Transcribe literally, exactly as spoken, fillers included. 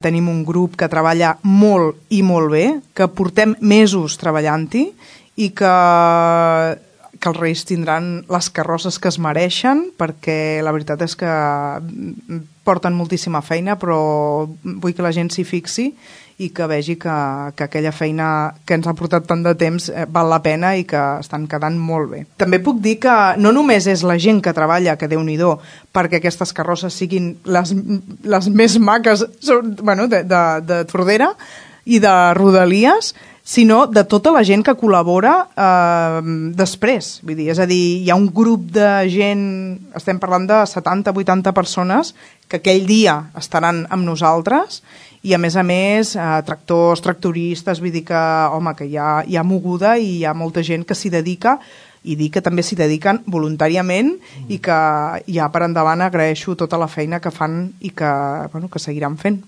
tenim un grup que treballa molt i molt bé, que portem mesos treballant-hi i que, que els Reis tindran les carrosses que es mereixen, perquè la veritat és que porten moltíssima feina, però vull que la gent s'hi fixi i que vegi que, que aquella feina que ens ha portat tant de temps eh, val la pena i que estan quedant molt bé. També puc dir que no només és la gent que treballa, que Déu-n'hi-do, perquè aquestes carrosses siguin les, les més maques bueno, de, de, de Tordera i de Rodalies, sinó de tota la gent que col·labora eh, després. Vull dir, és a dir, hi ha un grup de gent, estem parlant de setanta vuitanta persones, que aquell dia estaran amb nosaltres i a més a més eh, tractors, tractoristes, vull dir que, home, que hi ha, hi ha moguda i hi ha molta gent que s'hi dedica i dir que també s'hi dediquen voluntàriament mm. i que ja per endavant agraeixo tota la feina que fan i que, bueno, que seguiran fent.